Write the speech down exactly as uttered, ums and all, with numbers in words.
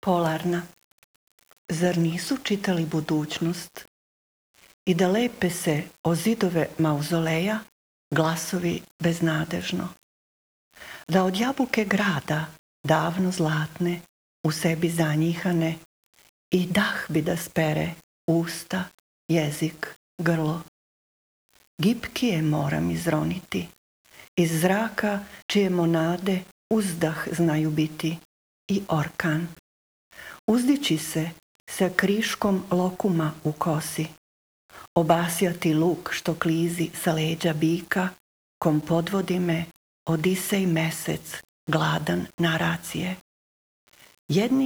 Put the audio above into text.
Polarna. Zar nisu čitali budućnost i da lepe se o zidove mauzoleja glasovi beznadežno? Da od jabuke grada, davno zlatne, u sebi zanjihane, i dah bi da spere usta, jezik, grlo. Gipkije moram izroniti, iz zraka čije monade uzdah znaju biti i orkan. Uzdići se sa kriškom lokuma u kosi, obasjati luk što klizi sa leđa bika, kom podvodi me Odisej mesec, gladan naracije. Jedni